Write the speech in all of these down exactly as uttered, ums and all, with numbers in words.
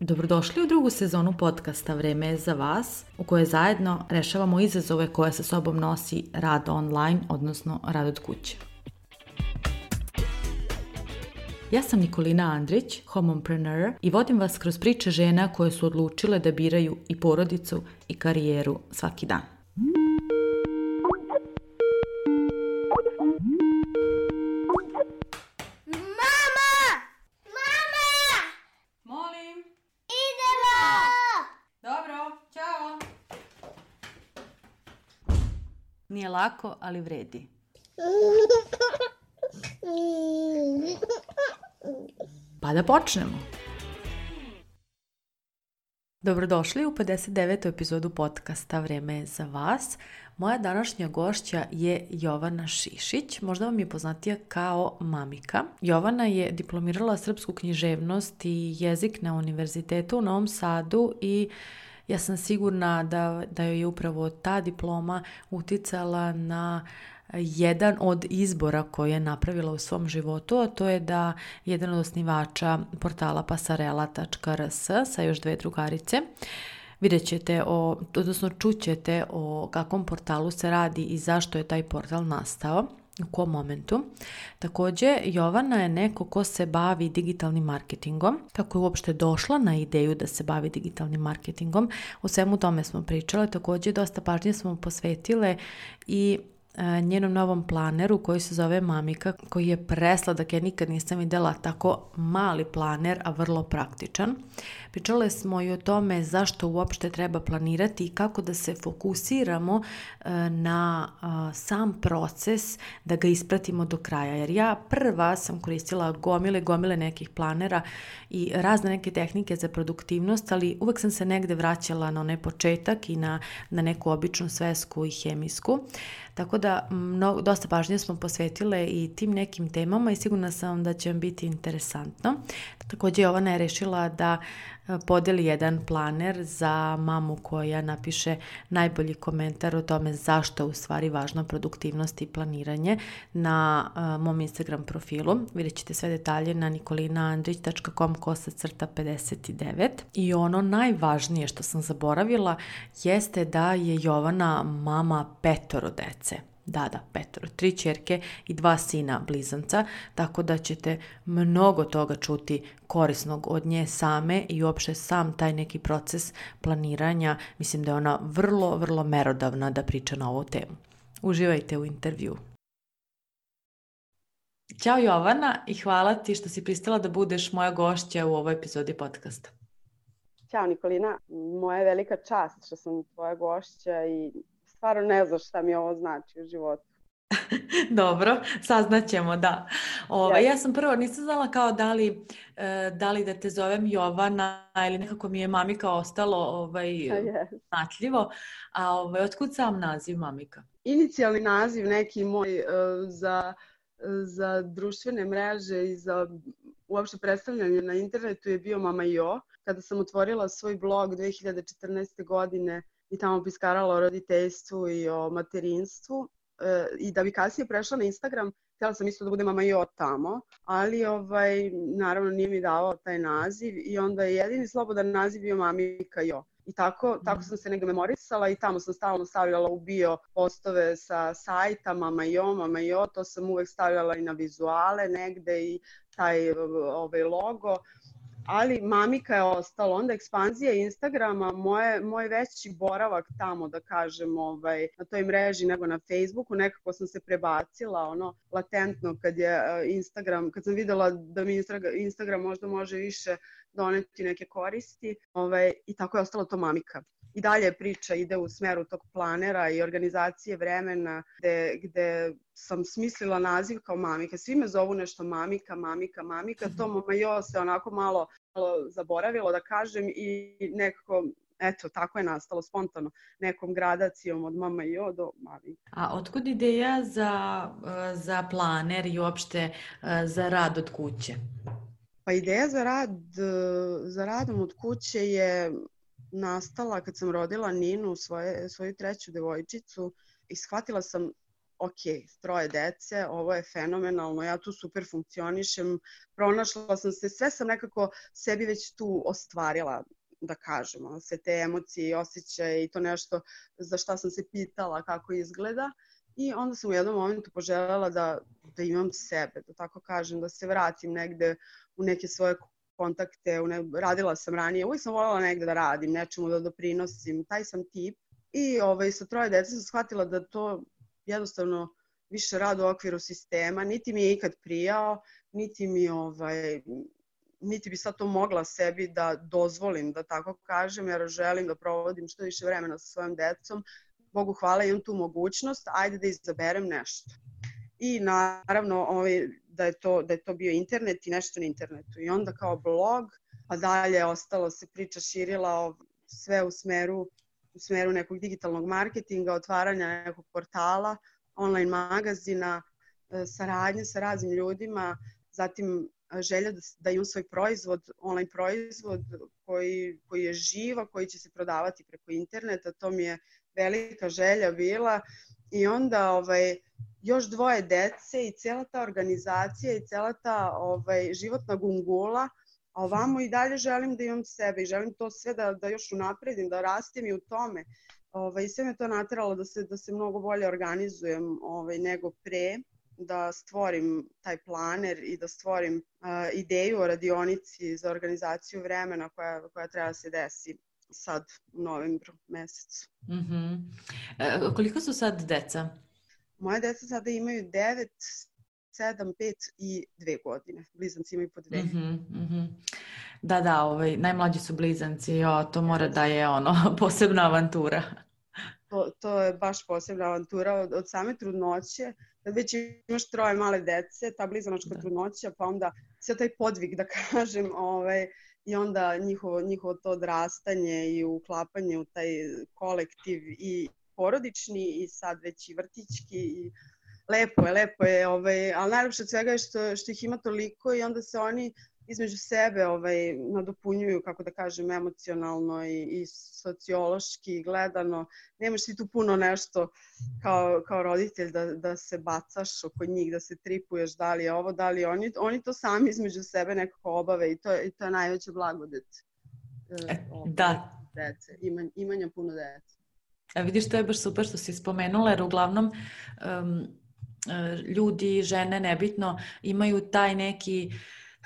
Dobrodošli u drugu sezonu podcasta Vreme je za vas, u kojoj zajedno rešavamo izazove koje sa sobom nosi rad online, odnosno rad od kuće. Ja sam Nikolina Andrić, homompreneur, i vodim vas kroz priče žena koje su odlučile da biraju i porodicu i karijeru svaki dan. Nije lako, ali vredi. Pa da počnemo. Dobrodošli u pedeset devetu epizodu podcasta Vreme je za vas. Moja današnja gošća je Jovana Šišić, možda vam je poznatija kao Mamika. Jovana je diplomirala srpsku književnost i jezik na Univerzitetu u Novom Sadu i ja sam sigurna da, da joj je upravo ta diploma uticala na jedan od izbora koje je napravila u svom životu, a to je da jedan od osnivača portala pasarela tačka r s sa još dve drugarice. Vidjet ćete, o, odnosno čućete o kakvom portalu se radi i zašto je taj portal nastao, u kom momentu. Također, Jovana je neko ko se bavi digitalnim marketingom. Kako je uopšte došla na ideju da se bavi digitalnim marketingom, o svemu tome smo pričale. Također, dosta pažnje smo posvetile i njenom novom planeru koji se zove Mamika, koji je presladak. Ja nikad nisam vidjela tako mali planer, a vrlo praktičan. Pričale smo i o tome zašto uopšte treba planirati i kako da se fokusiramo na sam proces, da ga ispratimo do kraja. Jer ja prva sam koristila gomile, gomile nekih planera i razne neke tehnike za produktivnost, ali uvek sam se negde vraćala na onaj početak i na, na neku običnu svesku i hemijsku. Tako da mnogo, dosta pažnje smo posvetile i tim nekim temama i sigurna sam da će vam biti interesantno. Također Jovana je rešila da podeli jedan planer za mamu koja napiše najbolji komentar o tome zašto je u stvari važna produktivnost i planiranje na uh, mom Instagram profilu. Vidjet ćete sve detalje na nikolinaandrić tačka com kosa crta pedeset devet. I ono najvažnije što sam zaboravila jeste da je Jovana mama petoro dece. Da, da, petoro, tri ćerke i dva sina blizanca, tako da ćete mnogo toga čuti korisnog od nje same i uopšte sam taj neki proces planiranja. Mislim da je ona vrlo, vrlo merodavna da priča na ovu temu. Uživajte u intervju. Ćao Jovana i hvala ti što si pristala da budeš moja gošća u ovoj epizodi podcasta. Ćao Nikolina, moja je velika čast što sam tvoja gošća i stvarno ne znaš šta mi ovo znači u životu. Dobro, saznaćemo, da. Ove, ja sam prvo nisam znala kao da li, da li da te zovem Jovana ili nekako mi je Mamika ostalo ovaj, znatljivo. A ovaj, otkud sam naziv Mamika? Inicijalni naziv neki moj uh, za, za društvene mreže i za uopšte predstavljanje na internetu je bio Mama Jo. Kada sam otvorila svoj blog dve hiljade četrnaeste. godine i tamo piskarala o roditeljstvu i o materinstvu. E, I da bi kasnije prešla na Instagram, htjela sam isto da bude Mama Jo tamo, ali ovaj, naravno nije mi davao taj naziv i onda je jedini slobodan naziv bio Mamika Jo. I tako, tako sam se negdje memorisala i tamo sam stalno stavljala u bio postove sa sajta Mama Jo, Mama Jo, to sam uvek stavljala i na vizuale negde i taj ovaj, logo. Ali Mamika je ostalo, onda ekspanzija Instagrama, moje, moj veći boravak tamo, da kažem, ovaj, na toj mreži nego na Facebooku, nekako sam se prebacila, ono, latentno kad je Instagram, kad sam videla da mi Instagram možda može više doneti neke koristi, ovaj, i tako je ostalo to Mamika. I dalje priča ide u smeru tog planera i organizacije vremena gde, gde sam smislila naziv kao Mamika. Svi me zovu nešto Mamika, Mamika, Mamika. To Mama Jo se onako malo, malo zaboravilo da kažem i nekako, eto, tako je nastalo spontano. Nekom gradacijom od Mama Jo do Mamika. A otkud ideja za, za planer i uopšte za rad od kuće? Pa ideja za rad, za radom od kuće je nastala kad sam rodila Ninu, svoje, svoju treću devojčicu, i shvatila sam ok, troje dece, ovo je fenomenalno, ja tu super funkcionišem, pronašla sam se, sve sam nekako sebi već tu ostvarila, da kažemo, sve te emocije i osjećaje i to nešto za šta sam se pitala kako izgleda. I onda sam u jednom momentu poželjela da, da imam sebe, da tako kažem, da se vratim negde u neke svoje kontakte, u ne, radila sam ranije, uvijek sam voljela negde da radim, nečemu da doprinosim, taj sam tip. I ovaj, sa troje dece sam shvatila da to jednostavno više rad u okviru sistema, niti mi je ikad prijao, niti mi ovaj, niti bi sad to mogla sebi da dozvolim, da tako kažem, jer želim da provodim što više vremena sa svojom decom. Bogu hvala, imam tu mogućnost, ajde da izaberem nešto. I naravno ovaj, da, je to, da je to bio internet i nešto na internetu. I onda kao blog, pa dalje ostalo se priča širila sve u smeru, u smeru nekog digitalnog marketinga, otvaranja nekog portala, online magazina, saradnje sa raznim ljudima, zatim želja da, da imam svoj proizvod, online proizvod koji, koji je živa, koji će se prodavati preko interneta, to mi je velika želja bila. I onda ovaj, još dvoje dece i cijela ta organizacija i cijela ta ovaj, životna gungula, a ovamo i dalje želim da imam sebe i želim to sve da, da još unapredim, da rastim i u tome. Ovaj, sve me to nateralo da se, da se mnogo bolje organizujem ovaj, nego pre, da stvorim taj planer i da stvorim uh, ideju o radionici za organizaciju vremena koja, koja treba da se desi sad u novembru mesecu. Mm-hmm. E, koliko su sad deca? Moje deca sada imaju devet, sedam, pet i dve godine. Blizanci imaju po dve. Mm-hmm, mm-hmm. Da, da, ovaj, najmlađi su blizanci, jo, to mora da je ono, posebna avantura. To, to je baš posebna avantura od, od same trudnoće. Kad već imaš troje male dece, ta blizanačka da. trudnoća, pa onda sve taj podvig, da kažem, ovaj, i onda njihovo, njihovo to odrastanje i uklapanje u taj kolektiv i porodični i sad već i vrtićki. I lepo je, lepo je, ovaj, ali najlepše od svega je što, što ih ima toliko i onda se oni između sebe ovaj, nadopunjuju, kako da kažem, emocionalno i, i sociološki gledano. Nemaš ti tu puno nešto kao, kao roditelj da, da se bacaš oko njih, da se tripuješ da li je ovo, da li je oni. Oni to sami između sebe nekako obave i to, i to je najveća blagodet e, da. dece, Ima, imanja puno dece. A vidiš, to je baš super što si spomenula, jer uglavnom um, ljudi, žene, nebitno, imaju taj neki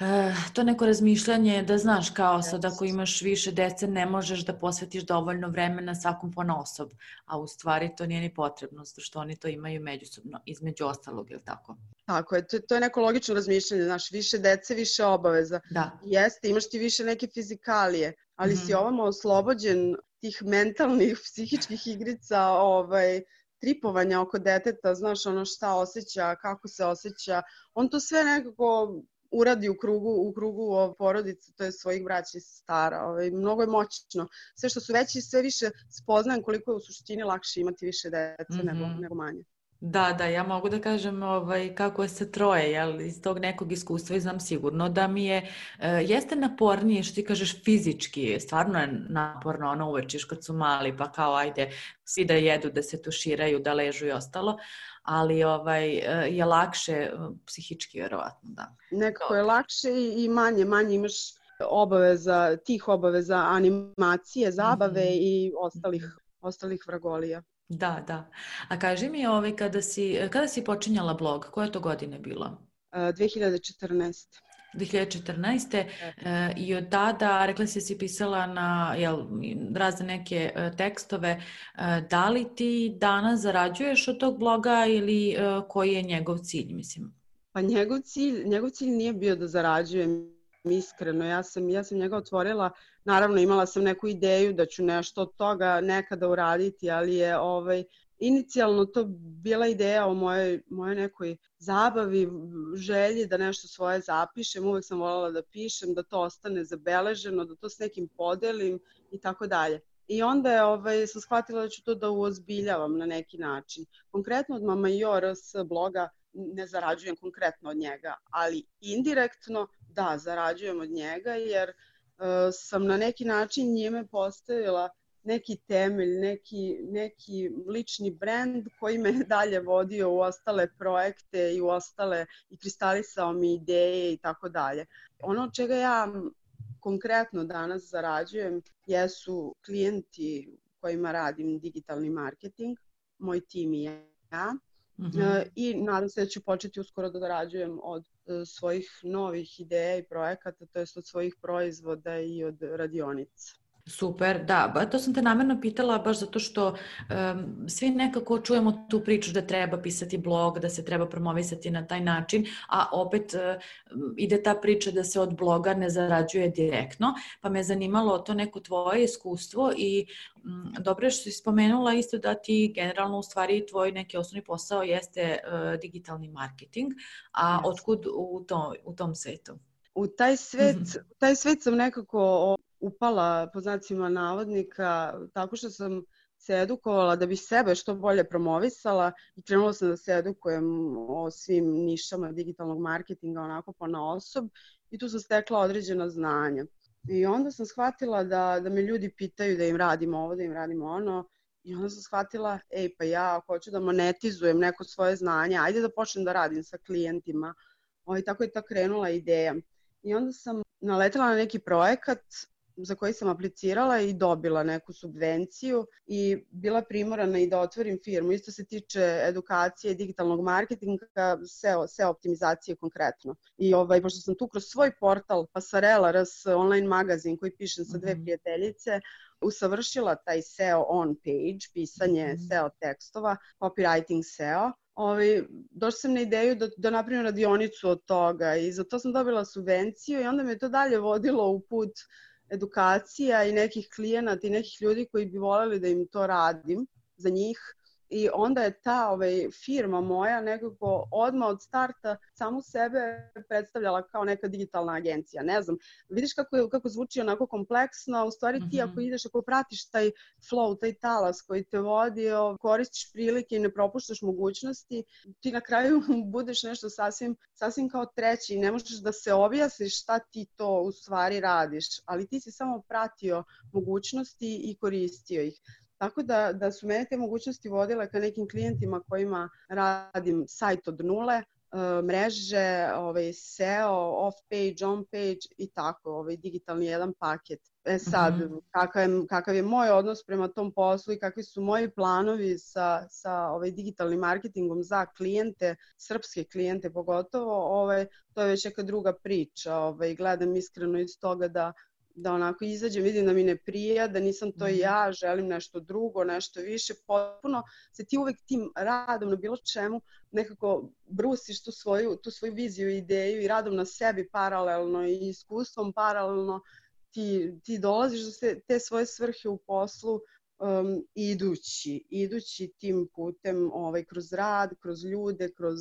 Uh, to neko razmišljanje da znaš kao sad ako imaš više dece ne možeš da posvetiš dovoljno vremena svakom ponaosob, a u stvari to nije ni potrebno, zato što oni to imaju međusobno, između ostalog, je li tako? Tako je, to, to je neko logično razmišljanje, znaš, više dece, više obaveza. Da. Jeste, imaš ti više neke fizikalije, ali mm-hmm. si ovamo oslobođen tih mentalnih, psihičkih igrica, ovaj, tripovanja oko deteta, znaš ono šta osjeća, kako se osjeća, on to sve nekako uradi u krugu, u krugu porodice, to je svojih braća i sestara. Ovaj, mnogo je moćno. Sve što su veći, sve više spoznajem koliko je u suštini lakše imati više dece mm-hmm. nego, nego manje. Da, da, ja mogu da kažem ovaj, kako je sa troje, jel, iz tog nekog iskustva i znam sigurno da mi je, e, jeste napornije što ti kažeš fizički, stvarno je naporno, ono uvečiš kad su mali pa kao ajde svi da jedu, da se tuširaju, da ležu i ostalo, ali ovaj, je lakše psihički vjerovatno, da. Nekako je lakše i manje, manje imaš obaveza, tih obaveza, animacije, zabave mm-hmm. i ostalih, ostalih vragolija. Da, da. A kaži mi, ovaj, kada si, kada si počinjala blog, koja to godine bilo? dve hiljade četrnaeste. dve hiljade četrnaeste. E, i od tada, rekla si si pisala na jel, razne neke e, tekstove, e, da li ti danas zarađuješ od tog bloga ili e, koji je njegov cilj, mislim? Pa njegov cilj, njegov cilj nije bio da zarađujem, iskreno, ja sam, ja sam njega otvorila, naravno imala sam neku ideju da ću nešto od toga nekada uraditi, ali je ovaj, inicijalno to bila ideja o mojoj, mojoj nekoj zabavi, želji da nešto svoje zapišem, uvek sam voljela da pišem, da to ostane zabeleženo, da to s nekim podelim i tako dalje. I onda je, ovaj, sam shvatila da ću to da uozbiljavam na neki način. Konkretno od Mama i O R S bloga ne zarađujem konkretno od njega, ali indirektno da, zarađujem od njega jer uh, sam na neki način njime postavila neki temelj, neki, neki lični brend koji me dalje vodio u ostale projekte i u ostale i kristalisao mi ideje i tako dalje. Ono od čega ja konkretno danas zarađujem jesu klijenti kojima radim digitalni marketing, moj tim i ja. Mm-hmm. I nadam se da ću početi uskoro da zarađujem od svojih novih ideja i projekata, to jest od svojih proizvoda i od radionica. Super, da, ba, to sam te namjerno pitala baš zato što um, svi nekako čujemo tu priču da treba pisati blog, da se treba promovisati na taj način, a opet um, ide ta priča da se od bloga ne zarađuje direktno, pa me zanimalo to neko tvoje iskustvo i um, dobro je što si spomenula isto da ti generalno u stvari tvoj neki osnovni posao jeste uh, digitalni marketing, a yes. Otkud u, to, u tom svetu? U taj svet, u taj svet sam nekako upala po znacima navodnika tako što sam se edukovala da bi sebe što bolje promovisala i krenula sam da se edukujem o svim nišama digitalnog marketinga onako ponaosob i tu sam stekla određena znanja. I onda sam shvatila da, da me ljudi pitaju da im radim ovo, da im radim ono i onda sam shvatila, ej pa ja hoću da monetizujem neko svoje znanje, ajde da počnem da radim sa klijentima. I tako je ta krenula ideja. I onda sam naletela na neki projekat za koji sam aplicirala i dobila neku subvenciju i bila primorana i da otvorim firmu. Isto se tiče edukacije, digitalnog marketinga, S E O, S E O optimizacije konkretno. I ovaj, pošto sam tu kroz svoj portal Pasarela, ras online magazin koji pišem sa dve prijateljice, usavršila taj S E O on page, pisanje mm-hmm. S E O tekstova, copywriting S E O. Ovi, došla sam na ideju da, da napravim radionicu od toga i za to sam dobila subvenciju i onda me to dalje vodilo u put edukacija i nekih klijenata i nekih ljudi koji bi voljeli da im to radim za njih. I onda je ta ovaj, firma moja nekako odmah od starta samu sebe predstavljala kao neka digitalna agencija. Ne znam, vidiš kako, kako zvuči onako kompleksno, u stvari ti ako ideš, ako pratiš taj flow, taj talas koji te vodi, koristiš prilike i ne propuštaš mogućnosti, ti na kraju budeš nešto sasvim, sasvim kao treći i ne možeš da se objasniš šta ti to u stvari radiš, ali ti si samo pratio mogućnosti i koristio ih. Tako da, da su mene te mogućnosti vodile ka nekim klijentima kojima radim sajt od nule, mreže, ovaj, S E O, off-page, on-page i tako, ovaj, digitalni jedan paket. E sad, mm-hmm. kakav, je, kakav je moj odnos prema tom poslu i kakvi su moji planovi sa, sa ovaj, digitalnim marketingom za klijente, srpske klijente pogotovo, ovaj, to je već neka druga priča. Ovaj, gledam iskreno iz toga da da onako izađem, vidim da mi ne prija, da nisam to ja, želim nešto drugo, nešto više, potpuno se ti uvek tim radom na bilo čemu nekako brusiš tu svoju, tu svoju viziju i ideju i radom na sebi paralelno i iskustvom paralelno ti, ti dolaziš do te, te svoje svrhe u poslu um, idući, idući tim putem ovaj, kroz rad, kroz ljude, kroz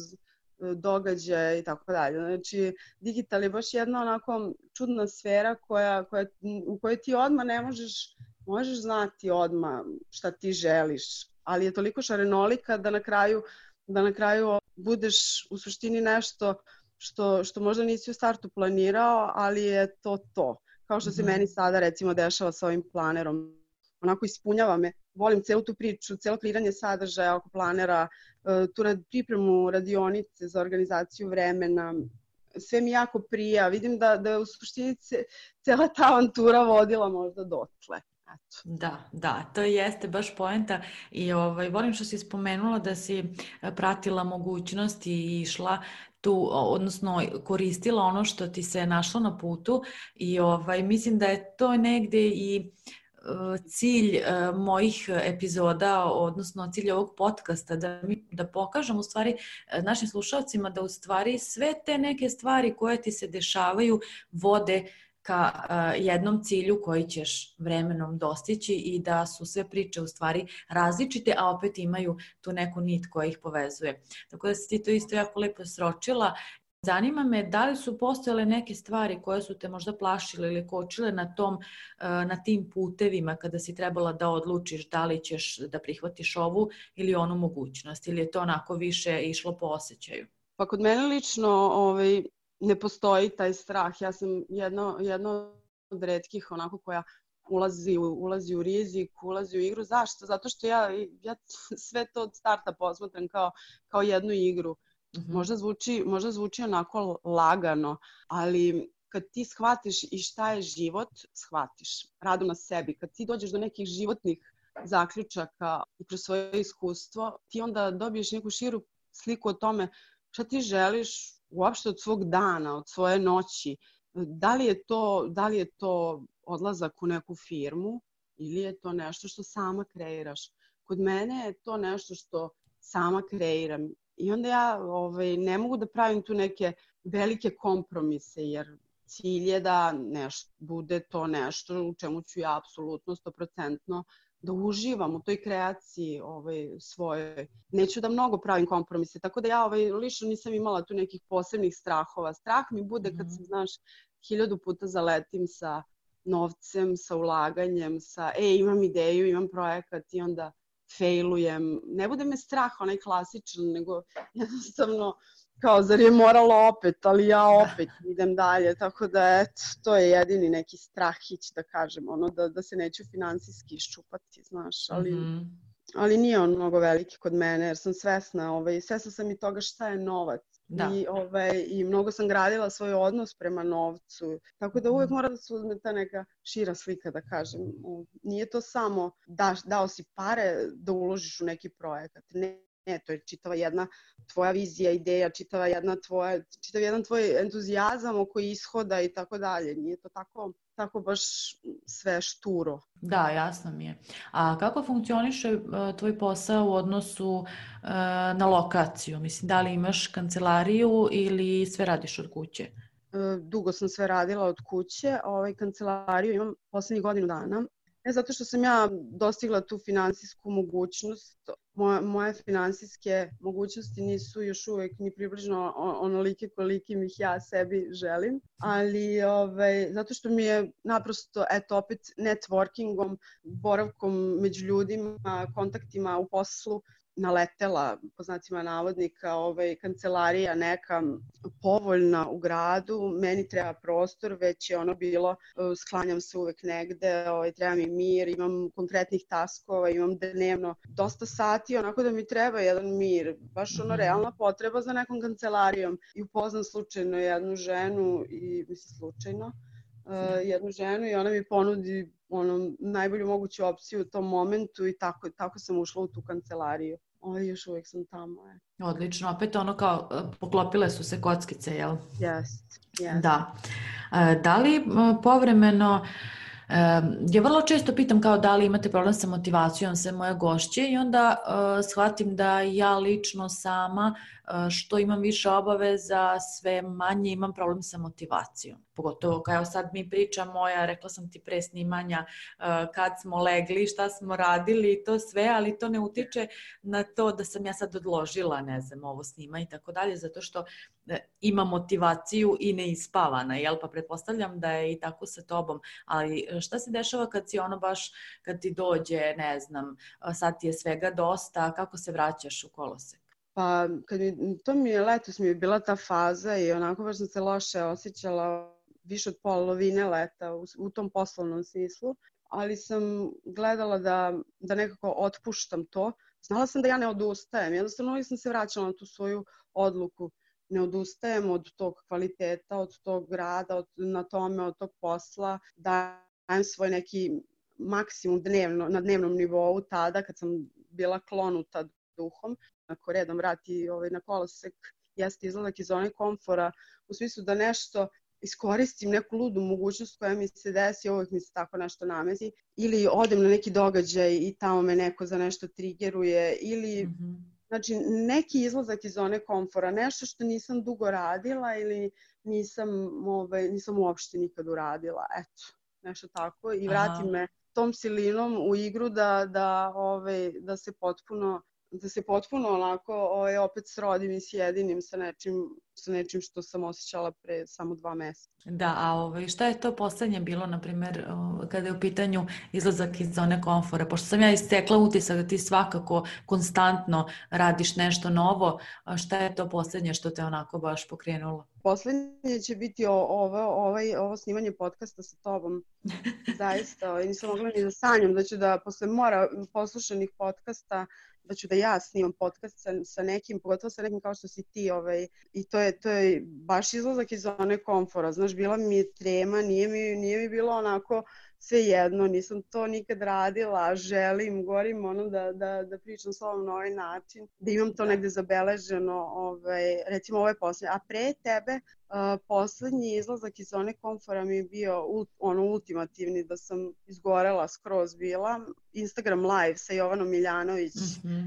događaje i tako dalje. Znači, digital je baš jedna onako čudna sfera koja, koja, u kojoj ti odmah ne možeš, možeš znati odmah šta ti želiš, ali je toliko šarenolika da na kraju, da na kraju budeš u suštini nešto što, što možda nisi u startu planirao, ali je to to. Kao što se mm-hmm. meni sada recimo dešava sa ovim planerom. Onako ispunjava me. Volim celu tu priču, celo kreiranje sadržaja oko planera, tu rad, pripremu radionice za organizaciju vremena. Sve mi jako prija. Vidim da, da je u suštini cela ta avantura vodila možda dotle. Eto. Da, da, to jeste baš poenta i ovaj, volim što si spomenula da si pratila mogućnosti i išla tu, odnosno koristila ono što ti se našlo na putu i ovaj, mislim da je to negde i cilj uh, mojih epizoda, odnosno cilj ovog podcasta, da, mi, da pokažem u stvari našim slušalcima da u stvari sve te neke stvari koje ti se dešavaju vode ka uh, jednom cilju koji ćeš vremenom dostići i da su sve priče u stvari različite, a opet imaju tu neku nit koja ih povezuje. Tako da si ti to isto jako lepo sročila. Zanima me da li su postojale neke stvari koje su te možda plašile ili kočile na, tom, na tim putevima kada si trebala da odlučiš da li ćeš da prihvatiš ovu ili onu mogućnost ili je to onako više išlo po osjećaju? Pa kod mene lično ovaj, ne postoji taj strah. Ja sam jedno, jedno od retkih onako koja ulazi u, ulazi u rizik, ulazi u igru. Zašto? Zato što ja, ja sve to od starta posmatram kao, kao jednu igru. Mm-hmm. Možda zvuči, možda zvuči onako lagano, ali kad ti shvatiš i šta je život, shvatiš radom na sebi. Kad ti dođeš do nekih životnih zaključaka i kroz svoje iskustvo, ti onda dobiješ neku širu sliku o tome šta ti želiš uopšte od svog dana, od svoje noći. Da li je to, da li je to odlazak u neku firmu ili je to nešto što sama kreiraš. Kod mene je to nešto što sama kreiram. I onda ja ovaj, ne mogu da pravim tu neke velike kompromise, jer cilj je da nešto, bude to nešto u čemu ću ja apsolutno stoprocentno da uživam u toj kreaciji ovaj, svojoj. Neću da mnogo pravim kompromise, tako da ja ovaj, lično nisam imala tu nekih posebnih strahova. Strah mi bude kad sam, znaš, hiljadu puta zaletim sa novcem, sa ulaganjem, sa e, imam ideju, imam projekat i onda failujem. Ne bude me strah onaj klasičan, nego jednostavno kao, zar je moralo opet, ali ja opet idem dalje, tako da eto, to je jedini neki strahić, da kažem, ono, da, da se neću finansijski iščupati, znaš, ali, mm-hmm. ali nije on mnogo veliki kod mene, jer sam svesna, ovaj, svesna sam i toga šta je novac. Da. I, ovaj, I mnogo sam gradila svoj odnos prema novcu, tako da uvijek mora da se uzme ta neka šira slika, da kažem. Nije to samo da, dao si pare da uložiš u neki projekat, ne. Ne, to je čitava jedna tvoja vizija, ideja, čitava jedna tvoja, čitav jedan tvoj entuzijazam oko ishoda i tako dalje. Nije to tako, tako baš sve šturo. Da, jasno mi je. A kako funkcioniše uh, tvoj posao u odnosu uh, na lokaciju? Mislim, da li imaš kancelariju ili sve radiš od kuće? Uh, dugo sam sve radila od kuće. Ovaj, kancelariju imam poslednjih godinu dana. Ne zato što sam ja dostigla tu finansijsku mogućnost, moje, moje finansijske mogućnosti nisu još uvijek ni približno onolike kolikim ih ja sebi želim, ali ovaj, zato što mi je naprosto, eto opet networkingom, boravkom među ljudima, kontaktima u poslu, naletela, po znacima navodnika, ovaj, kancelarija neka povoljna u gradu, meni treba prostor, već je ono bilo, sklanjam se uvek negde, ovaj, treba mi mir, imam konkretnih taskova, imam dnevno dosta sati, onako da mi treba jedan mir, baš ono realna potreba za nekom kancelarijom. I upoznam slučajno jednu ženu, i mislim slučajno, uh, jednu ženu i ona mi ponudi ono, najbolju moguću opciju u tom momentu i tako, tako sam ušla u tu kancelariju. O, još uvijek sam tamo. Je. Odlično, opet ono kao poklopile su se kockice, jel? Jest, jest. Da. Da li povremeno, ja vrlo često pitam kao da li imate problem sa motivacijom sve moje gošće i onda uh, shvatim da ja lično sama uh, što imam više obaveza, sve manje imam problem sa motivacijom. Pogotovo kao sad mi pričamo, ja rekla sam ti pre snimanja uh, kad smo legli, šta smo radili i to sve, ali to ne utiče na to da sam ja sad odložila, ne znam, ovo snima i tako dalje, zato što uh, imam motivaciju i neispavana, jel? Pa pretpostavljam da je i tako sa tobom, ali šta se dešava kad si ono baš, kad ti dođe, ne znam, sad ti je svega dosta, kako se vraćaš u kolosek? Pa, kad mi, to mi je letos mi je bila ta faza i onako baš sam se loše osjećala više od polovine leta u, u tom poslovnom smislu, ali sam gledala da, da nekako otpuštam to. Znala sam da ja ne odustajem, jednostavno uvijek sam se vraćala na tu svoju odluku. Ne odustajem od tog kvaliteta, od tog rada, od, na tome, od tog posla, da dajem svoj neki maksimum dnevno, na dnevnom nivou tada kad sam bila klonuta duhom. Ako redom vrati ovaj, na kolosek, jeste izlazak iz zone komfora, u smislu da nešto iskoristim, neku ludu mogućnost koja mi se desi, uvijek mi se tako nešto namesi, ili odem na neki događaj i tamo me neko za nešto trigeruje, ili mm-hmm. znači, neki izlazak iz zone komfora, nešto što nisam dugo radila ili nisam, ovaj, nisam uopšte nikad uradila, eto. Nešto tako i vrati Aha. me tom silinom u igru da, da, ovaj, da se potpuno da se potpuno onako ovaj, opet srodim i sjedinim sa nečim, sa nečim što sam osjećala pre samo dva meseca. Da, a ovaj, šta je to poslednje bilo, na primjer, kada je u pitanju izlazak iz zone komfora? Pošto sam ja istekla utisak da ti svakako konstantno radiš nešto novo, a šta je to poslednje što te onako baš pokrenulo? Poslednje će biti o, ovo, ovaj, ovo snimanje podcasta sa tobom. Zaista, ovaj, nisam mogla ni da sanjam da ću da posle mora poslušanih podcasta da ću da ja snimam podcast sa, sa nekim, pogotovo sa nekim kao što si ti, ovaj, i to je, to je baš izlazak iz zone komfora. Znaš, bila mi je trema, nije mi, nije mi bilo onako sve jedno, nisam to nikad radila, želim, gorim ono da, da, da pričam s ovom na ovaj način, da imam to negde zabeleženo, ovaj, recimo ovo je poslednje. A pre tebe, uh, poslednji izlazak iz zone komfora mi je bio ult, ono ultimativni, da sam izgorela skroz bila, Instagram live sa Jovanom Miljanović. Mm-hmm.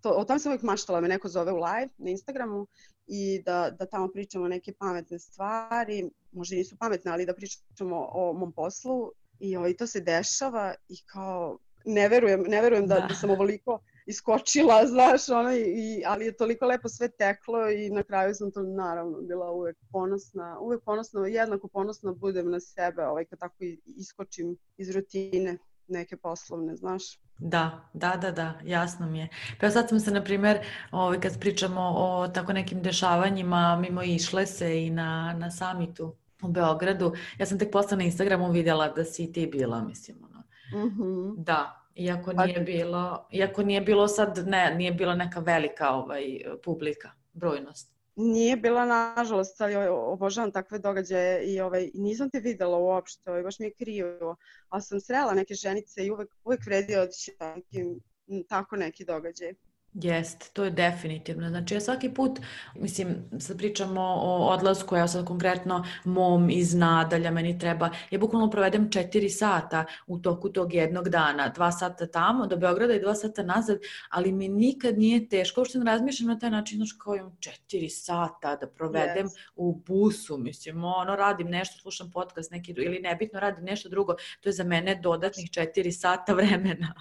To, o tom sam uvijek maštala, me neko zove u live na Instagramu i da, da tamo pričamo neke pametne stvari, možda nisu pametne, ali da pričamo o mom poslu. I ovaj, to se dešava i kao ne verujem, ne verujem da, da. da sam ovoliko iskočila, znaš, ono, i, ali je toliko lepo sve teklo i na kraju sam to naravno bila uvek ponosna, uvek ponosna, jednako ponosna budem na sebe ovaj, kad tako iskočim iz rutine neke poslovne, znaš. Da, da, da, da, jasno mi je. Pa sad smo se, na primjer, ovaj, kad pričamo o tako nekim dešavanjima, mimo išle se i na, na samitu u Beogradu. Ja sam tek posle na Instagramu vidjela da si ti bila, mislim, ono. Mm-hmm. Da, iako nije bilo, iako nije bilo sad, ne, nije bila neka velika ovaj, publika, brojnost. Nije bila, nažalost, ali obožavam takve događaje i ovaj, nisam te videla uopšte, ovaj, baš mi je krivo, ali sam srela neke ženice i uvek, uvek vredi otići takim, tako neki događaj. Jest, to je definitivno. Znači ja svaki put, mislim, sad pričamo o odlasku, ja sad konkretno mom iz Nadalja, meni treba, ja bukvalno provedem četiri sata u toku tog jednog dana, dva sata tamo do Beograda i dva sata nazad, ali mi nikad nije teško, uopšte ne razmišljam na taj način, znači kao imam četiri sata da provedem yes. u busu, mislim, ono, radim nešto, slušam podcast neki, ili nebitno radim nešto drugo, to je za mene dodatnih četiri sata vremena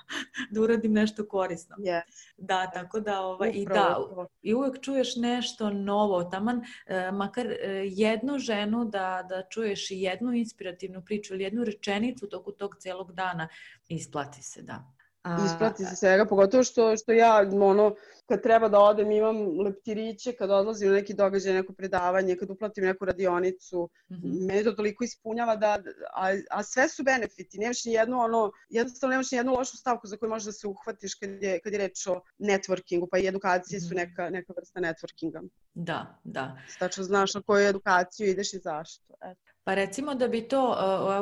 da uradim nešto korisno. Yes. Da, tako da, ovaj, i da, i uvek čuješ nešto novo, taman, eh, makar eh, jednu ženu da, da čuješ i jednu inspirativnu priču ili jednu rečenicu toku tog celog dana, isplati se, da. A... Isplati se svega, pogotovo što, što ja, ono, kad treba da odem, imam leptiriće, kad odlazim na neki događaj, neko predavanje, kad uplatim neku radionicu, mm-hmm. mene to toliko ispunjava da, a, a sve su benefiti, nemaš ni jednu, ono, jednostavno nemaš ni jednu lošu stavku za koju možeš da se uhvatiš kad je, kad je reč o networkingu, pa i edukacije mm-hmm. su neka, neka vrsta networkinga. Da, da. Tačno znaš na koju edukaciju ideš i zašto, eto. Pa recimo da bi to,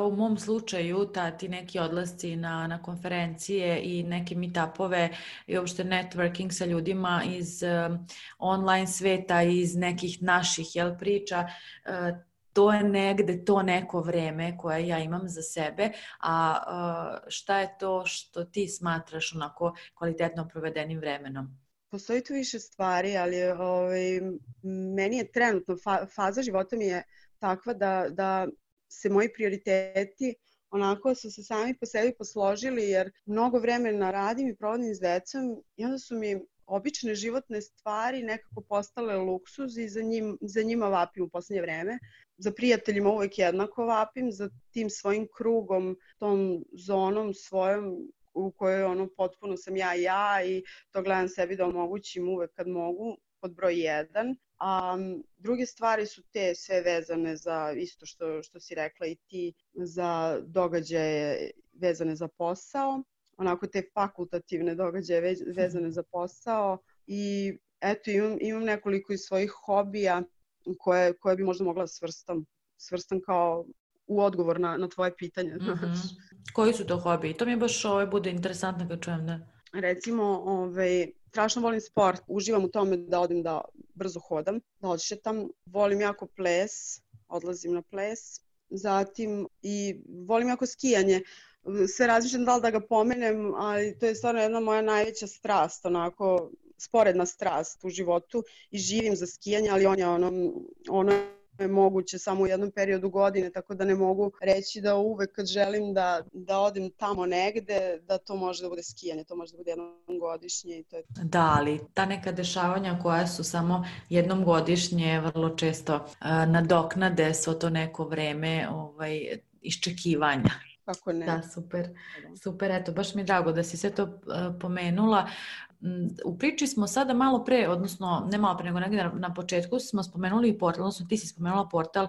u mom slučaju, ta, ti neki odlasci na, na konferencije i neke meetupove i uopšte networking sa ljudima iz um, online sveta, iz nekih naših jel, priča, uh, to je negde to neko vreme koje ja imam za sebe, a uh, šta je to što ti smatraš onako kvalitetno provedenim vremenom? Postoji tu više stvari, ali ovaj, meni je trenutno, fa- faza života mi je takva da, da se moji prioriteti onako su se sami po sebi posložili, jer mnogo vremena radim i provodim s decom i onda su mi obične životne stvari nekako postale luksuz i za, njim, za njima vapim u poslednje vreme. Za prijateljima uvek jednako vapim, za tim svojim krugom, tom zonom svojom u kojoj ono potpuno sam ja ja i to gledam sebi da omogućim uvek kad mogu, pod broj jedan. A druge stvari su te sve vezane za isto što, što si rekla i ti, za događaje vezane za posao, onako te fakultativne događaje vezane za posao i eto imam, imam nekoliko iz svojih hobija koje, koje bi možda mogla svrstam, svrstam kao u odgovor na, na tvoje pitanje. Mm-hmm. Koji su to hobiji? To mi je baš ovaj, bude interesantno kad čujem da... Recimo, ovaj, strašno volim sport, uživam u tome da odem da brzo hodam, da odšetam, volim jako ples, odlazim na ples, zatim i volim jako skijanje. Sve razmišljam da li da ga pomenem, ali to je stvarno jedna moja najveća strast, onako sporedna strast u životu i živim za skijanje, ali on je ono, ono je moguće samo u jednom periodu godine, tako da ne mogu reći da uvek kad želim da, da odem tamo negde, da to može da bude skijanje, to može da bude jednom godišnje i to je... Da, ali ta neka dešavanja koja su samo jednom godišnje vrlo često uh, nadoknade svo to neko vreme ovaj, iščekivanja. Kako ne? Da, super. Super, eto, baš mi je drago da si sve to uh, pomenula. U priči smo sada malo pre, odnosno ne malo pre, nego negdje na, na početku smo spomenuli portal, odnosno ti si spomenula portal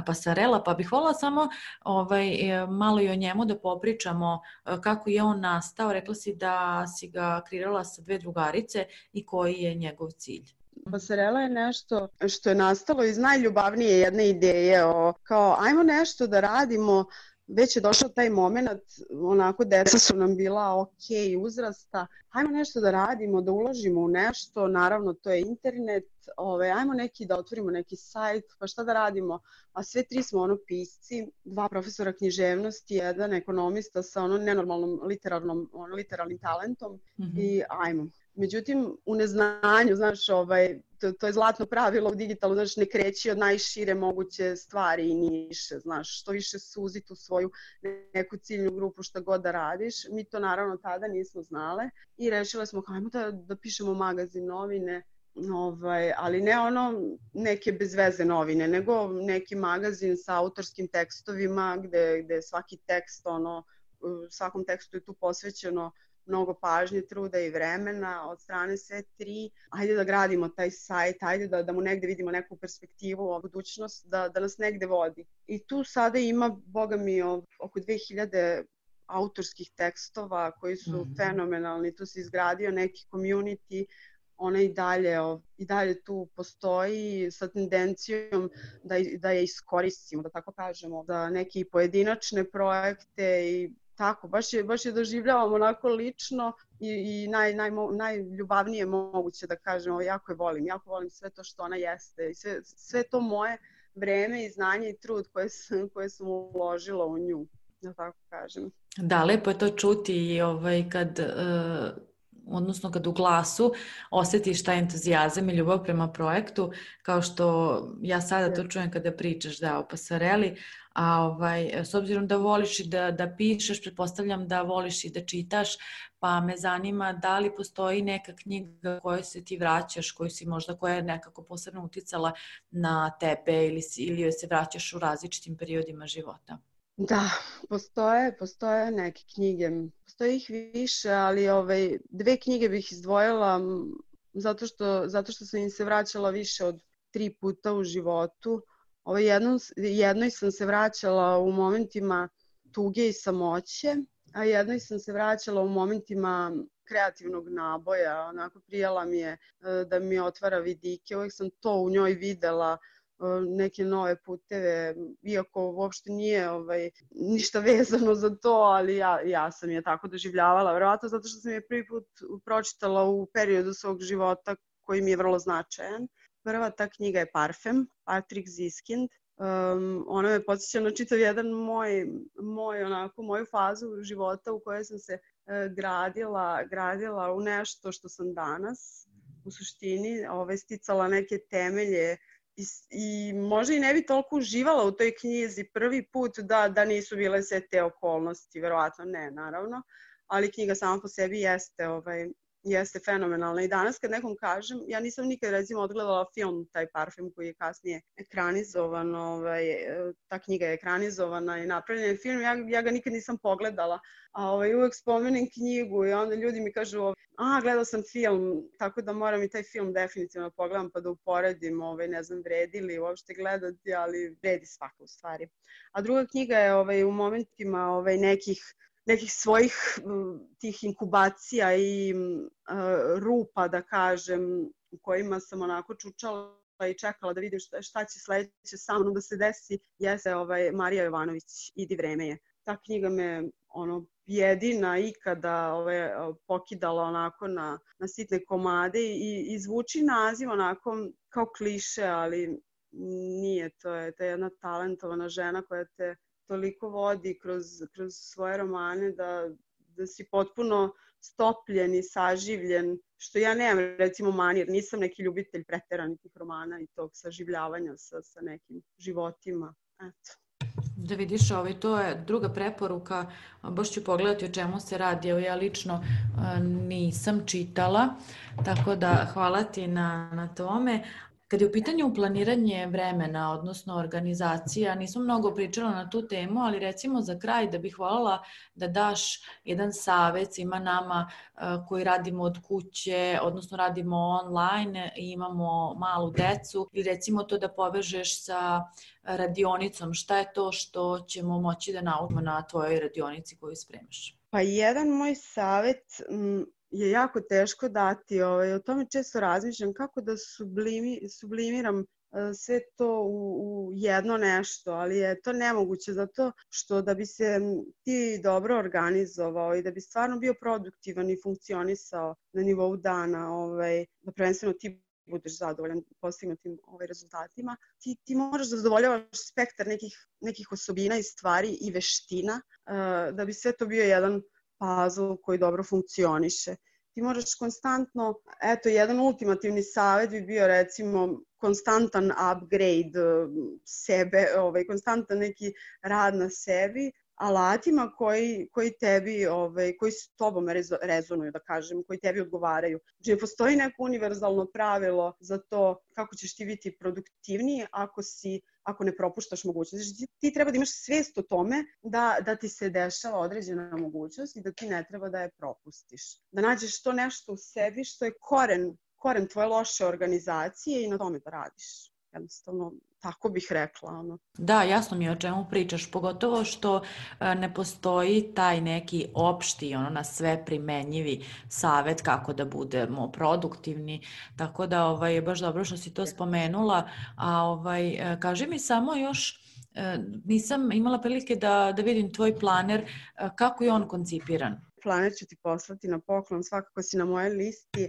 Pasarela, pa bih voljela samo ovaj, malo i o njemu da popričamo kako je on nastao. Rekla si da si ga kreirala sa dve drugarice i koji je njegov cilj. Pasarela je nešto što je nastalo iz najljubavnije jedne ideje, o, kao ajmo nešto da radimo. Već je došao taj moment, onako deca su nam bila ok uzrasta, ajmo nešto da radimo, da uložimo u nešto, naravno to je internet, ove, ajmo neki da otvorimo neki sajt, pa šta da radimo, a sve tri smo ono pisci, dva profesora književnosti, jedan ekonomista sa ono nenormalnom literarnom, ono, literarnim talentom mm-hmm. i ajmo. Međutim, u neznanju, znaš, ovaj, to, to je zlatno pravilo u digitalu, znaš, ne kreći od najšire moguće stvari i niše, znaš, što više suzi tu svoju neku ciljnu grupu šta god da radiš. Mi to naravno tada nismo znale i rešile smo, hajmo da, da pišemo magazin, novine, ovaj, ali ne ono neke bezveze novine, nego neki magazin sa autorskim tekstovima gde, gde svaki tekst, ono, svakom tekstu je tu posvećeno mnogo pažnje, truda i vremena od strane sve tri. Ajde da gradimo taj sajt, ajde da, da mu negde vidimo neku perspektivu, o budućnost, da, da nas negde vodi. I tu sada ima, boga mi, oko dve hiljade autorskih tekstova koji su mm-hmm. fenomenalni. Tu se izgradio neki community, ona i dalje, i dalje tu postoji sa tendencijom da, da je iskoristimo, da tako kažemo, za neke pojedinačne projekte i tako, baš je, baš je doživljavam onako lično i, i naj, naj, najljubavnije moguće da kažem, jako je volim, jako volim sve to što ona jeste i sve, sve to moje vreme i znanje i trud koje sam, koje sam uložila u nju, da tako kažem. Da, lepo je to čuti i ovaj, kad... Uh... odnosno kad u glasu osjetiš taj entuzijazam i ljubav prema projektu, kao što ja sada to čujem kada pričaš da, o Pasareli, a ovaj, s obzirom da voliš i da, da pišeš, pretpostavljam da voliš i da čitaš, pa me zanima da li postoji neka knjiga kojoj se ti vraćaš, koju si možda, koja je nekako posebno uticala na tebe ili, si, ili joj se vraćaš u različitim periodima života. Da, postoje, postoje neke knjige, postoje ih više, ali ovaj, dve knjige bih izdvojila zato što, zato što sam im se vraćala više od tri puta u životu. Ovaj, jedno, jednoj sam se vraćala u momentima tuge i samoće, a jednoj sam se vraćala u momentima kreativnog naboja. Onako prijala mi je da mi otvara vidike, uvijek sam to u njoj videla, neke nove puteve, iako uopšte nije ovaj, ništa vezano za to, ali ja, ja sam je tako doživljavala, verovatno zato što sam je prvi put pročitala u periodu svog života koji mi je vrlo značajan. Prva ta knjiga je Parfem, Patrick Zskind. Um, ona me podsjeća na čitav jedan moj, moj, onako, moju fazu života u kojoj sam se uh, gradila, gradila u nešto što sam danas, u suštini, ovaj, sticala neke temelje I, i možda i ne bi toliko uživala u toj knjizi prvi put da, da nisu bile sve te okolnosti, verovatno ne, naravno, ali knjiga sama po sebi jeste, ovaj, jeste fenomenalna i danas kad nekom kažem, ja nisam nikad recimo odgledala film taj Parfem koji je kasnije ekranizovan, ovaj, ta knjiga je ekranizovana i napravljen je film, ja, ja ga nikad nisam pogledala, a ovaj, uvek spomenem knjigu i onda ljudi mi kažu, a gledao sam film, tako da moram i taj film definitivno pogledam pa da uporedim, ovaj, ne znam vredi li uopšte gledati, ali vredi svaka u stvari. A druga knjiga je ovaj, u momentima ovaj, nekih nekih svojih tih inkubacija i uh, rupa, da kažem, u kojima sam onako čučala i čekala da vidim šta, šta će sledeće sa mnom da se desi, jeste ovaj, Marija Jovanović, Idi vreme je. Ta knjiga me ono, jedina ikada ovaj, pokidala onako na, na sitne komade i, i zvuči naziv onako kao kliše, ali nije, to je, to je jedna talentovana žena koja te toliko vodi kroz, kroz svoje romane da, da si potpuno stopljen i saživljen, što ja nemam recimo manir, nisam neki ljubitelj preteranih romana i tog saživljavanja sa, sa nekim životima. Eto. Da vidiš, ovaj, to je druga preporuka, baš ću pogledati o čemu se radi, evo ja lično nisam čitala, tako da hvala ti na, na tome. Kad je u pitanju planiranje vremena, odnosno organizacija, nisam mnogo pričala na tu temu, ali recimo za kraj da bih voljela da daš jedan savjet svima nama koji radimo od kuće, odnosno radimo online i imamo malu decu, ili recimo to da povežeš sa radionicom. Šta je to što ćemo moći da naučimo na tvojoj radionici koju spremaš? Pa jedan moj savjet je jako teško dati, ovaj, o tome često razmišljam kako da sublimi, sublimiram sve to u, u jedno nešto, ali je to nemoguće zato što da bi se ti dobro organizovao i da bi stvarno bio produktivan i funkcionisao na nivou dana, ovaj, da prvenstveno ti budeš zadovoljan postignutim ovaj, rezultatima, ti, ti možeš da zadovoljavaš spektar nekih, nekih osobina i stvari i veština uh, da bi sve to bio jedan puzzle koji dobro funkcioniše. Ti moraš konstantno, eto, jedan ultimativni savjet bi bio recimo konstantan upgrade sebe, ovaj, konstantan neki rad na sebi, alatima koji, koji tebi, ovaj, koji s tobom rezo, rezonuju, da kažem, koji tebi odgovaraju. Znači, ne postoji neko univerzalno pravilo za to kako ćeš ti biti produktivniji ako si ako ne propuštaš mogućnost. Znači, ti treba da imaš svijest o tome da, da ti se dešava određena mogućnost i da ti ne treba da je propustiš. Da nađeš to nešto u sebi što je koren, koren tvoje loše organizacije i na tome da radiš. Jednostavno, tako bih rekla. Ono. Da, jasno mi je o čemu pričaš, pogotovo što ne postoji taj neki opšti, ono, na sve primenjivi savjet kako da budemo produktivni, tako da ovaj, je baš dobro što si to spomenula, a ovaj, kaži mi samo još, nisam imala prilike da, da vidim tvoj planer, kako je on koncipiran? Planer ću ti poslati na poklon, svakako si na mojoj listi.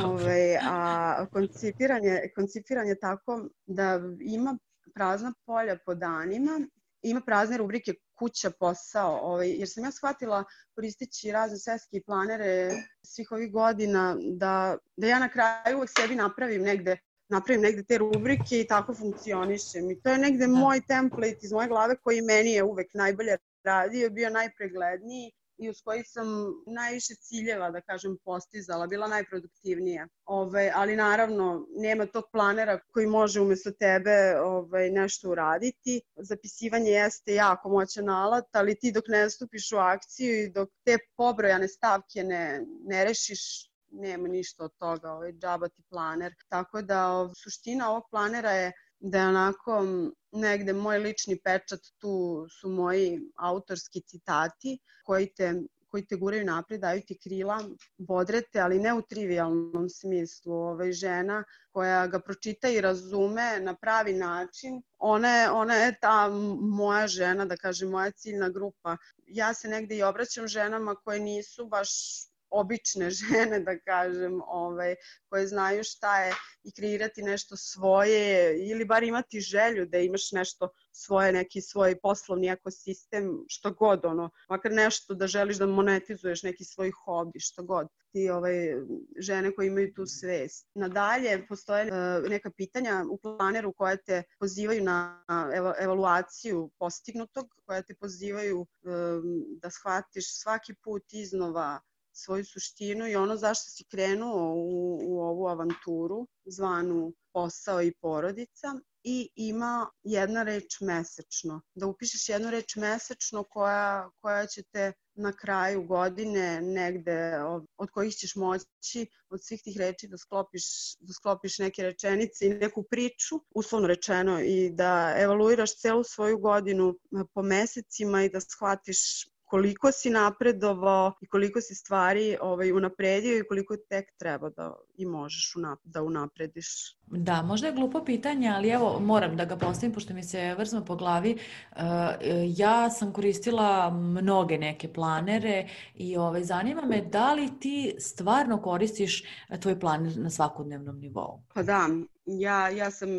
Ove, a koncipiran je, koncipiran je tako da ima prazna polja po danima, ima prazne rubrike kuća, posao, ovaj, jer sam ja shvatila koristeći razne svetske planere svih ovih godina da, da ja na kraju uvek sebi napravim negde napravim negde te rubrike i tako funkcionišem. I to je negde moj template iz moje glave koji meni je uvek najbolje radio, bio najpregledniji i uz koji sam najviše ciljeva, da kažem, postizala, bila najproduktivnija. Ove, ali naravno, nema tog planera koji može umjesto tebe ove, nešto uraditi. Zapisivanje jeste jako moćan alat, ali ti dok ne stupiš u akciju i dok te pobrojane stavke ne, ne rešiš, nema ništa od toga, ovaj džaba ti planer. Tako da ov, suština ovog planera je da je onako negde moj lični pečat, tu su moji autorski citati koji te, koji te guraju napred, daju ti krila, bodrete, ali ne u trivialnom smislu. Ovaj, žena koja ga pročita i razume na pravi način, ona je, ona je ta moja žena, da kažem, moja ciljna grupa. Ja se negde i obraćam ženama koje nisu baš obične žene, da kažem, ovaj, koje znaju šta je i kreirati nešto svoje ili bar imati želju da imaš nešto svoje, neki svoj poslovni ekosistem, što god, ono, makar nešto da želiš da monetizuješ neki svoj hobi, što god. Ti ovaj, žene koje imaju tu svest. Nadalje, postoje uh, neka pitanja u planeru koja te pozivaju na ev- evaluaciju postignutog, koja te pozivaju um, da shvatiš svaki put iznova svoju suštinu i ono zašto si krenuo u, u ovu avanturu zvanu posao i porodica, i ima jedna reč mesečno. Da upišeš jednu reč mesečno koja, koja će te na kraju godine negde od, od kojih ćeš moći od svih tih reči da sklopiš, da sklopiš neke rečenice i neku priču, uslovno rečeno, i da evaluiraš celu svoju godinu po mesecima i da shvatiš koliko si napredovao i koliko si stvari ovaj, unapredio i koliko tek treba da i možeš unap- da unaprediš. Da, možda je glupo pitanje, ali evo moram da ga postavim pošto mi se vrzma po glavi. Uh, ja sam koristila mnoge neke planere i ovaj, zanima me da li ti stvarno koristiš tvoj planer na svakodnevnom nivou? Pa da, ja, ja sam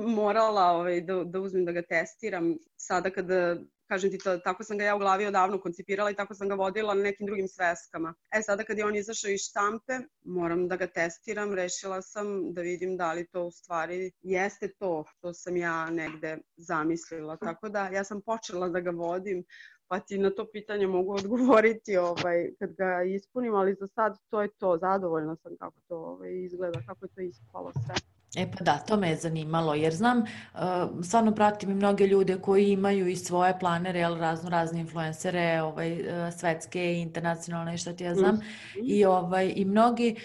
morala ovaj, da, da uzmem da ga testiram sada kada kažem ti, to, tako sam ga ja u glavi odavno koncipirala i tako sam ga vodila na nekim drugim sveskama. E sada kad je on izašao iz štampe, moram da ga testiram, rešila sam da vidim da li to u stvari jeste to što sam ja negde zamislila. Tako da ja sam počela da ga vodim, pa ti na to pitanje mogu odgovoriti ovaj, kad ga ispunim, ali za sad to je to, zadovoljna sam kako to ovaj, izgleda, kako je to ispalo sve. E pa da, to me je zanimalo, jer znam, uh, stvarno pratim i mnoge ljude koji imaju i svoje planere, jel, razno razne influencere, ovaj, uh, svetske i internacionalne, šta ti ja znam, mm-hmm. i, ovaj, i mnogi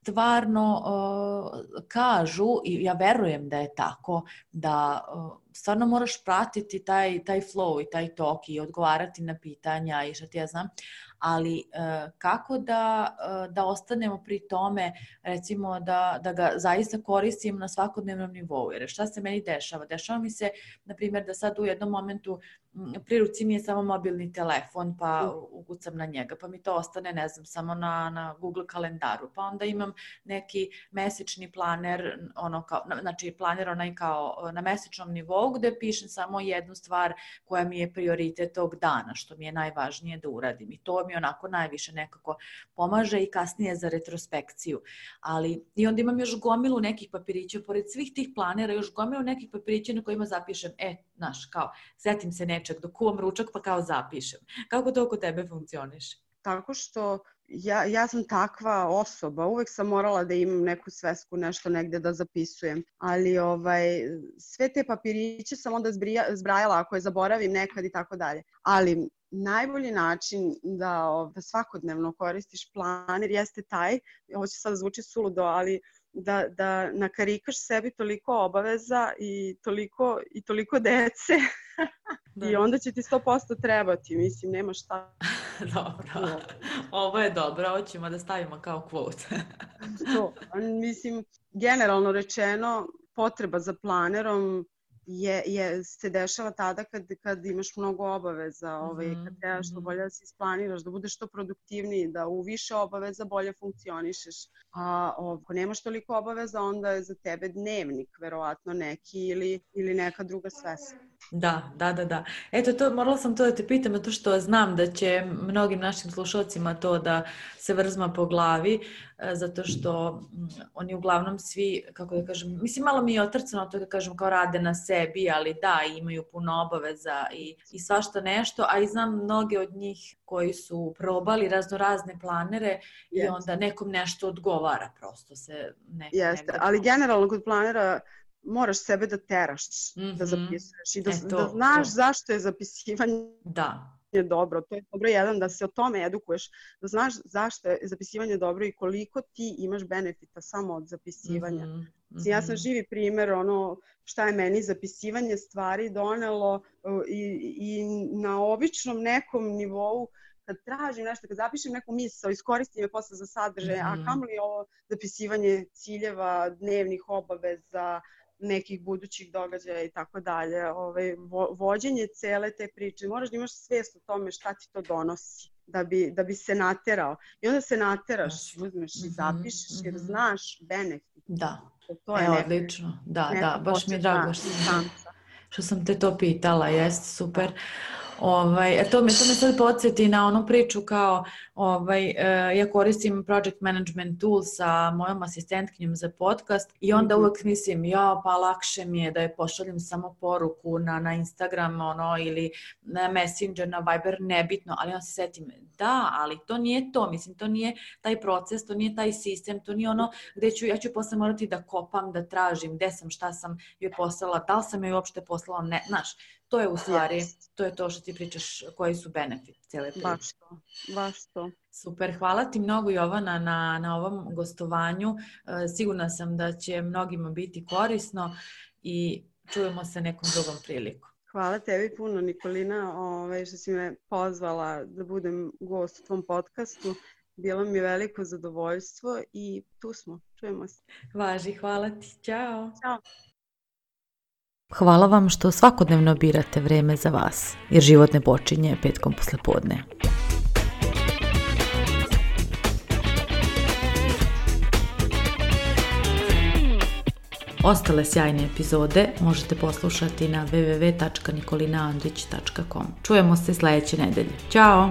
stvarno uh, kažu, i ja verujem da je tako, da uh, stvarno moraš pratiti taj, taj flow i taj tok i odgovarati na pitanja i šta ti ja znam, ali uh, kako da, uh, da ostanemo pri tome, recimo da, da ga zaista koristim na svakodnevnom nivou, jer šta se meni dešava? Dešava mi se, na primjer, da sad u jednom momentu pri ruci mi je samo mobilni telefon, pa ukucam na njega, pa mi to ostane, ne znam, samo na, na Google kalendaru, pa onda imam neki mesečni planer, ono kao, znači planer onaj kao na mesečnom nivou, gde pišem samo jednu stvar koja mi je prioritet tog dana, što mi je najvažnije da uradim. I to mi onako najviše nekako pomaže i kasnije za retrospekciju. Ali i onda imam još gomilu nekih papirića, pored svih tih planera, još gomilu nekih papirića na kojima zapišem, e, znaš, kao, setim se nečeg, dok kuvam ručak pa kao zapišem. Kako to oko tebe funkcioniše? Tako što ja, ja sam takva osoba, uvek sam morala da imam neku svesku, nešto negde da zapisujem, ali ovaj, sve te papiriće sam onda zbrija, zbrajala ako je zaboravim nekad i tako dalje. Ali najbolji način da, da svakodnevno koristiš planer jeste taj, ovo će sad zvuči suludo, ali da, da nakarikaš sebi toliko obaveza i toliko, i toliko dece i onda će ti sto posto trebati, mislim, nema šta. Dobro, ovo je dobro, ovo ćemo da stavimo kao quote. To, mislim, generalno rečeno, potreba za planerom je, je, se dešava tada kad, kad imaš mnogo obaveza, ovaj, kad trebaš što bolje da se isplaniraš, da budeš što produktivniji, da u više obaveza bolje funkcionišeš. A ako nemaš toliko obaveza, onda je za tebe dnevnik verovatno neki ili, ili neka druga svesna. Da, da, da, da. Eto, to, morala sam to da te pitam, zato što znam da će mnogim našim slušalcima to da se vrzma po glavi, zato što oni uglavnom svi, kako da kažem, mislim, malo mi je otrcano to da kažem kao rade na sebi, ali da, imaju puno obaveza i, i svašta nešto, a i znam mnoge od njih koji su probali razno razne planere i yes. onda nekom nešto odgovara, prosto se neko Jeste, ali generalno kod planera moraš sebe da teraš, mm-hmm. da zapisuješ i da, e, to, da znaš to. Zašto je zapisivanje da. dobro. To je dobro jedan, da se o tome edukuješ, da znaš zašto je zapisivanje dobro i koliko ti imaš benefita samo od zapisivanja. Mm-hmm. Mm-hmm. Ja sam živi primjer ono šta je meni zapisivanje stvari donelo i, i na običnom nekom nivou kad tražim nešto, kad zapišem neku misao, iskoristim je posle za sadržaj, mm-hmm. a kamoli ovo zapisivanje ciljeva, dnevnih obaveza, nekih budućih događaja i tako dalje. Ovaj, vo, vođenje cele te priče, moraš da imaš svijest o tome šta ti to donosi, da bi, da bi se naterao. I onda se nateraš, uzmeš i zapišeš mm-hmm. jer znaš benefit. Da, to je e, neka, odlično. Da, da, baš mi je drago što sam, što sam te to pitala, jest super. Ovaj, to, me, to me sad podsjeti na onu priču kao ovaj, eh, ja koristim project management tool sa mojom asistentkinjom za podcast i onda mm-hmm. uvek mislim ja pa lakše mi je da je pošaljem samo poruku na, na Instagram ono, ili na Messenger, na Viber, nebitno, ali onda se setim da, ali to nije to, mislim to nije taj proces, to nije taj sistem, to nije ono gde ću, ja ću posle morati da kopam, da tražim gde sam, šta sam joj poslala, da li sam joj uopšte poslala, ne, znaš, to je u stvari, yes. to je to što ti pričaš, koji su benefiti cijele priče. Baš to, baš to. Super, hvala ti mnogo Jovana na, na ovom gostovanju. E, sigurna sam da će mnogima biti korisno i čujemo se nekom drugom prilikom. Hvala tebi puno Nikolina ove, što si me pozvala da budem gost u tvom podcastu. Bilo mi je veliko zadovoljstvo i tu smo, čujemo se. Važi, hvala ti, ćao. Ćao. Hvala vam što svakodnevno birate vreme za vas, jer život ne počinje petkom poslepodne. Ostale sjajne epizode možete poslušati na w w w tačka nikolina andrić tačka com. Čujemo se sledeće nedelje. Ćao!